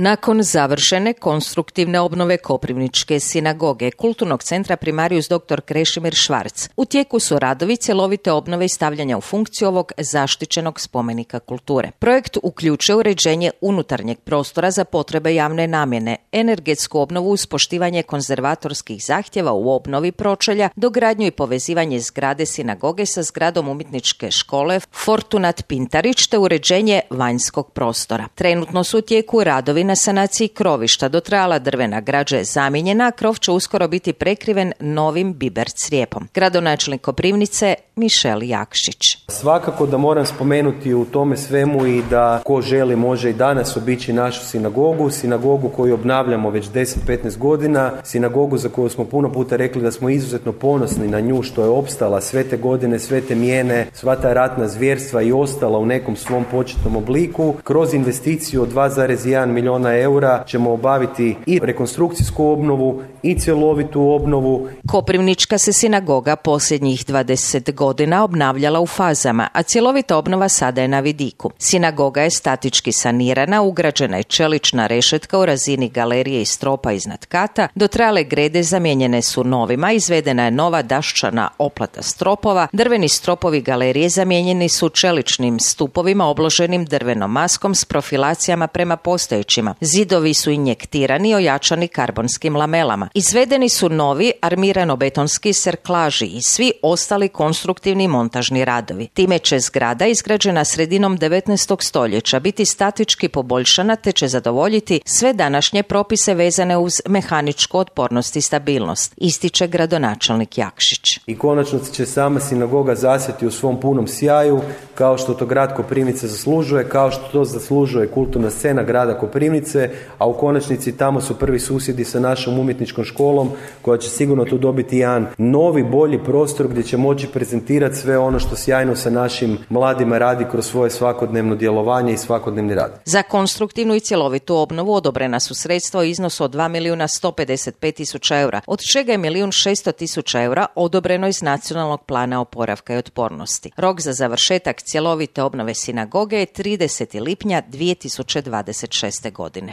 Nakon završene konstruktivne obnove Koprivničke sinagoge, kulturnog centra Primarius dr. Krešimir Švarc, u tijeku su radovi cjelovite obnove i stavljanja u funkciju ovog zaštićenog spomenika kulture. Projekt uključuje uređenje unutarnjeg prostora za potrebe javne namjene, energetsku obnovu uz poštivanje konzervatorskih zahtjeva u obnovi pročelja, dogradnju i povezivanje zgrade sinagoge sa zgradom umjetničke škole Fortunat Pintarić te uređenje vanjskog prostora. Trenutno su u tijeku radovi na sanaciji krovišta, dotrajala drvena građa je zamijenjena, a krov će uskoro biti prekriven novim biber crijepom. Gradonačelnik Koprivnice Mišel Jakšić. Svakako da moram spomenuti u tome svemu i da ko želi može i danas obići našu sinagogu koju obnavljamo već 10-15 godina, sinagogu za koju smo puno puta rekli da smo izuzetno ponosni na nju što je opstala sve te godine, sve te mijene, sva ta ratna zvjerstva i ostala u nekom svom početnom obliku. Kroz investiciju od 2,1 milijuna eura ćemo obaviti i rekonstrukcijsku obnovu i cjelovitu obnovu. Koprivnička se sinagoga posljednjih 20 godina obnavljala u fazama, a cjelovita obnova sada je na vidiku. Sinagoga je statički sanirana, ugrađena je čelična rešetka u razini galerije i stropa iznad kata, dotrajale grede zamijenjene su novima, izvedena je nova daščana oplata stropova, drveni stropovi galerije zamijenjeni su čeličnim stupovima obloženim drvenom maskom s profilacijama prema postojećima. Zidovi su injektirani i ojačani karbonskim lamelama. Izvedeni su novi armirano-betonski serklaži i svi ostali konstruktivni i montažni radovi. Time će zgrada izgrađena sredinom 19. stoljeća biti statički poboljšana te će zadovoljiti sve današnje propise vezane uz mehaničku otpornost i stabilnost, ističe gradonačelnik Jakšić. I konačno će sama sinagoga zasjati u svom punom sjaju, kao što to grad Koprivnice zaslužuje, kao što to zaslužuje kulturna scena grada Koprivnice, a u konačnici tamo su prvi susjedi sa našom umjetničkom školom koja će sigurno tu dobiti jedan novi, bolji prostor gdje će moći prezentirati sve ono što sjajno sa našim mladima radi kroz svoje svakodnevno djelovanje i svakodnevni rad. Za konstruktivnu i cjelovitu obnovu odobrena su sredstva u iznosu od 2.155.000 eura, od čega je 1.600.000 eura odobreno iz Nacionalnog plana oporavka i otpornosti. Rok za završetak cjelovite obnove sinagoge je 30. lipnja 2026. godine.